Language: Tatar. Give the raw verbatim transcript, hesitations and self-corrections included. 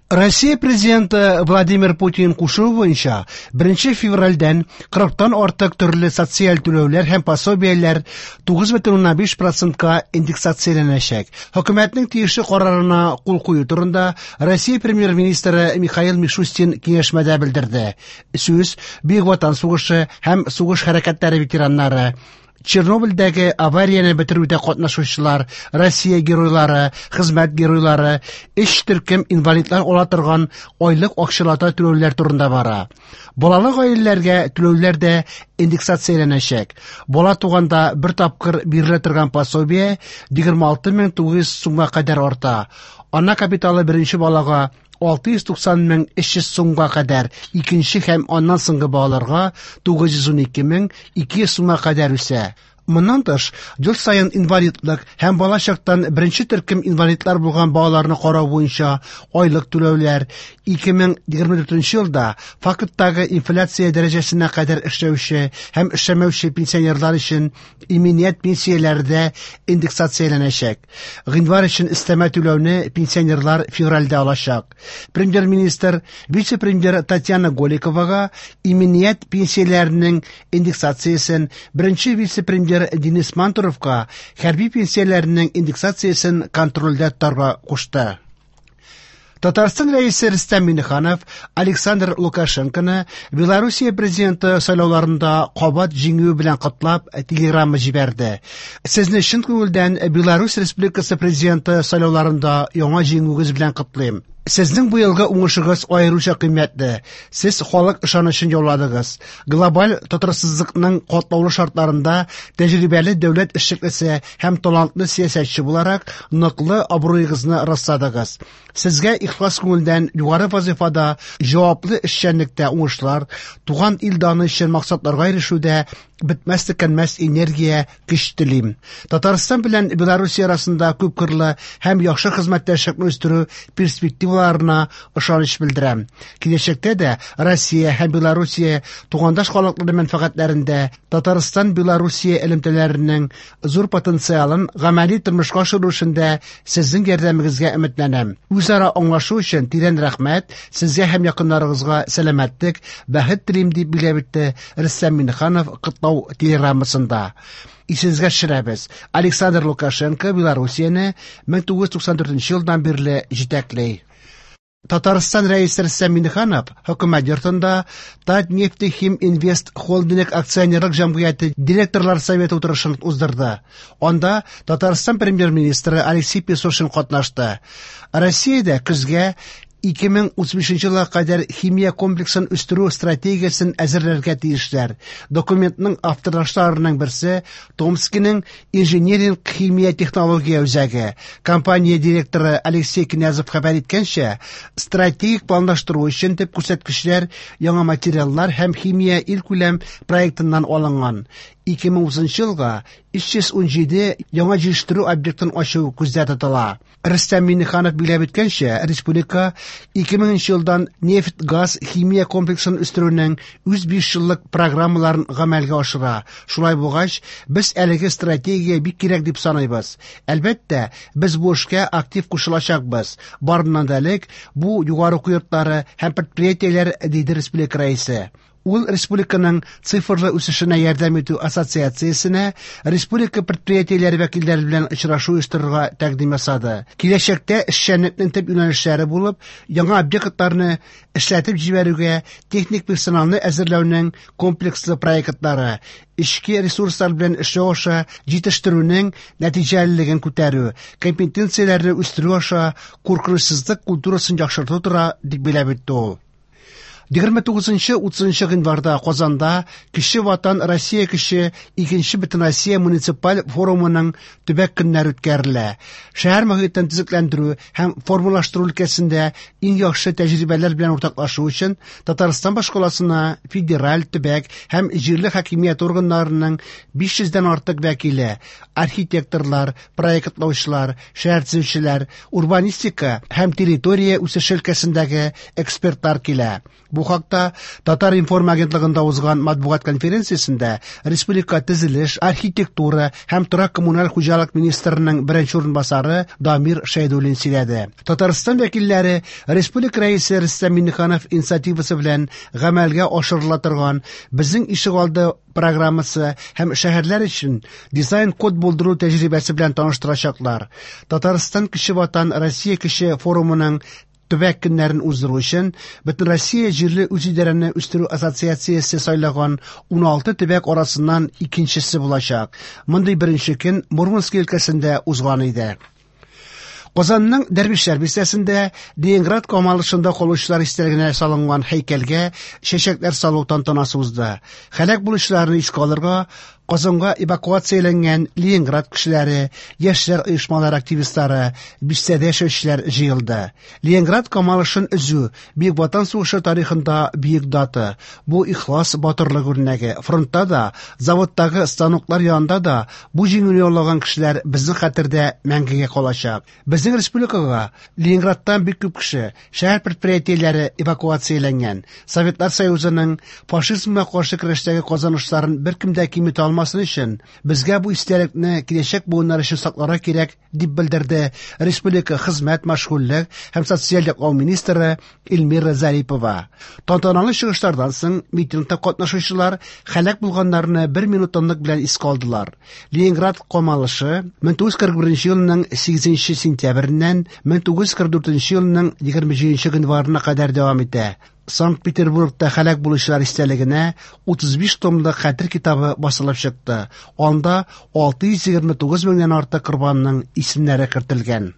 Россия президенты Владимир Путин кушуы буенча беренче февральдән кырыктан артык төрле социаль түләүләр һәм пособиеләр тугыз бөтен уннан биш процентка индексацияләнәчәк. Хөкүмәтнең тиешле карарына кул кую турында Россия премьер-министры Михаил Мишустин киңәшмәдә белдерде. Сүз Бөек Ватан сугышы һәм сугыш хәрәкәтләре ветераннары, Чернобыльдәге аварияне бетерүдә катнашучылар, Россия геройлары, хезмәт геройлары, өч төркем инвалидлар ала торган айлык акчалата түләүләр турында бара. Балалы гаиләләргә түләүләр дә индексацияләнәчәк. Бала туганда бер тапкыр бирелә торган пособие егерме алты мең тугыз йөз сумга кадәр арта. Ана капиталы беренче балага алты йөз туксан мең өч йөз сумга кадәр, икенче һәм аннан соңгы балаларга тугыз йөз ун ике мең ике йөз сумга кадәр үсә. Моннан тыш, ел саен инвалидлык һәм бала чактан беренче төркем инвалидлар булган балаларны карау буенча айлык түләүләр ике мең егерме дүртенче елда факттагы инфляция дәрәҗәсенә кадәр эшләүче һәм эшләмәүче пенсионерлар өчен иминият пенсияләре дә индексацияләнәчәк. Гыйнвар өчен өстәмә түләүне пенсионерлар февральдә алачак. Премьер-министр, вице-премьер Татьяна Голиковага иминият пенсияләренең индексациясен, беренче вице-премьер Денис Мантуровка хәрби пенсияләренең индексациясен контрольдә тотарга кушты. Татарстан рәисе Рөстәм Миңнеханов Александр Лукашенконы Белоруссия президенты сайлауларында кабат җиңүе белән котлап телеграмма җибәрде. Сезне чын күңелдән Беларусь Республикасы президенты сайлауларында яңа җиңүегез белән котлыйм. Сезнең быелгы уңышыгыз аеруча кыйммәтле. Сез халык ышанычын яуладыгыз. Глобаль тотрыксызлыкның катлаулы шартларында тәҗрибәле дәүләт эшлеклесе һәм талантлы сәясәтче буларак ныклы абруегызны расладыгыз. Сезгә ихлас күңелдән югары вазифада җаваплы эшчәнлектә уңышлар, туган ил даны өчен максатларга ирешүдә бетмәс төкәнмәс энергия, көч телим. Татарстан белән Белоруссия арасында күпкырлы һәм яхшы хезмәттәшлекне үстерү перспективаларына ышаныч белдерәм. Киләчәктә дә Россия һәм Белоруссия тугандаш халыклары мәнфәгатьләрендә Татарстан Белоруссия элемтәләренең зур потенциалын гамәли тормышка ашыру эшендә сезнең ярдәмегезгә өметләнәм. Үзара аңлашу өчен тирән рәхмәт, сезгә һәм якыннарыгызга сәламәтлек, бәхет телим, дип билгеләп үтте Рөстәм Миңнеханов котлау телеграммасында. Исегезгә төшерәбез, Александр Лукашенко Белоруссияне мең тугыз йөз туксан дүртенче елдан бирле җитәкли. Татарстан рәисе Рөстәм Миңнеханов хөкүмәт йортында Татнефтехиминвест холдинг акционерлык җәмгыяте директорлар советы утырышын уздырды. Анда Татарстан премьер-министры Алексей Песошин катнашты. Россиядә көзгә ике мең утыз бишенче елга кадәр химия комплексын үстерү стратегиясен әзерләргә тиешләр. Документның авторларының берсе Томскиның инжиниринг химия технология үзәге. Компания директоры Алексей Князев хәбәр иткәнчә, стратегик планлаштыру өчен төп күрсәткечләр яңа материаллар һәм химия илкүләм проектыннан алынган. Ике мең утызынчы елга өч йөз ун җиде яңа җитештерү объектын ачу күздә тотыла. Рөстәм Миңнеханов билгеләп үткәнчә, республика ике меңенче елдан нефть-газ химия комплексын үстерүнең үз биш еллык программаларын гамәлгә ашыра. Шулай булгач, без әлеге стратегия бик кирәк дип саныйбыз. Әлбәттә, без бу эшкә актив кушылачакбыз. Барыннан да элек, бу югары уку йортлары һәм предприятиеләр, диде республика рәисе. Ул республиканың цифрлы үсешенә ярдәм итү ассоциациясенә республика предприятиеләре вәкилләре белән очрашу оештырырга тәкъдим ясады. Киләчәктә эшчәнлекнең төп юнәлешләре булып, яңа объектларны эшләтеп җибәрүгә техник персоналны әзерләүнең комплекслы проектлары, эчке ресурслар белән эшләү аша җитештерүнең нәтиҗәлелеген күтәрү, компетенцияләрне үстерү аша куркынычсызлык культурасын яхшырту тора, дип билгеләп үтте ул. Егерме тугызынчы утызынчы гыйнварда Казанда Кече Ватан Россия кеше икенче Бөтенроссия муниципаль форумының төбәк көннәре үткәрелә. Шәһәр мөхитен төзекләндерү һәм формалаштыру өлкәсендә иң яхшы тәҗрибәләр белән уртаклашу өчен Татарстан башкаласына федераль, төбәк һәм җирле хакимият органнарының биш йөздән артык вәкиле, архитекторлар, проектлаучылар, шәһәр төзүчеләр, урбанистика һәм территория үсеше өлкәсендәге экспертлар килә. Бу хакта Татар-информ агентлыгында узган матбугат конференциясендә республика төзелеш, архитектура һәм торак-коммуналь хуҗалык министрының беренче урынбасары Дамир Шәйдуллин сөйләде. Татарстан вәкилләре республика рәисе Рөстәм Миңнеханов инициативасы белән гамәлгә ашырыла торган «Безнең ишегалды» программасы һәм шәһәрләр өчен дизайн-код булдыру тәҗрибәсе белән таныштырачаклар. Татарстан Кече Ватан Россия кече форумының төбәк көннәрен уздыру өчен Бөтенроссия җирле үзидарәне үстерү ассоциациясе сайлаган уналты төбәк арасыннан икенчесе булачак. Мондый беренче көн Мурманск өлкәсендә узган иде. Казанның Дәрвишләр бистәсендә Ленинград камалышында калучылар истәлегенә салынган һәйкәлгә чәчәкләр салу тантанасы узды. Һәлак булучыларны искә алырга Казанга эвакуацияләнгән Ленинград кешеләре, яшьләр оешмалары активистлары, бистәдә яшәүчеләр җыелды. Ленинград камалышын өзү Бөек Ватан сугышы тарихында бөек дата. Бу ихлас батырлык үрнәге. Фронтта да, заводтагы станоклар янында да бу җиңүне яулаган кешеләр безнең хәтердә мәңгегә калачак. Безнең республикага Ленинградтан бик күп кеше, шәһәр предприятиеләре эвакуацияләнгән. Советлар Союзының фашизмга каршы көрәштәге казанышларын беркем дә киметә алмасын өчен безгә бу истәлекне киләчәк буыннар өчен сакларга кирәк, дип белдерде республика хезмәт, мәшгульлек һәм социаль яклау министры Эльмира Зарипова. Тантаналы чыгышлардан соң митингта катнашучылар һәлак булганнарны бер минут тынлык белән искә алдылар. Ленинград камалышы мең тугыз йөз кырык беренче елның сигезенче сентябреннән мең тугыз йөз кырык дүртенче елның егерме җиденче гыйнварына кадәр дәвам итә. Санкт-Петербургта һәлак булучылар истәлегенә утыз биш томлык хәтер китабы басылып чыкты. Анда алты йөз егерме тугыз меңнән артык корбанның исемнәре кертелгән.